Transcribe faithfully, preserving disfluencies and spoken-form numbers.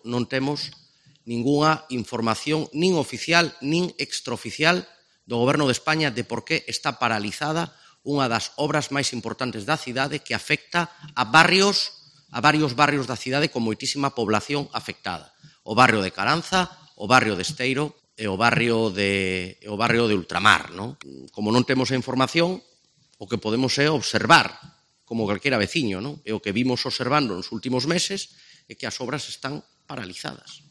non temos ningunha información nin oficial nin extraoficial do Goberno de España de por que está paralizada unha das obras máis importantes da cidade que afecta a barrios, a varios barrios da cidade con moitísima población afectada. O barrio de Caranza, o barrio de Esteiro e o barrio de, o barrio de Ultramar. Non? Como non temos a información, o que podemos é observar, como calquera veciño, non? E o que vimos observando nos últimos meses é que as obras están paralizadas.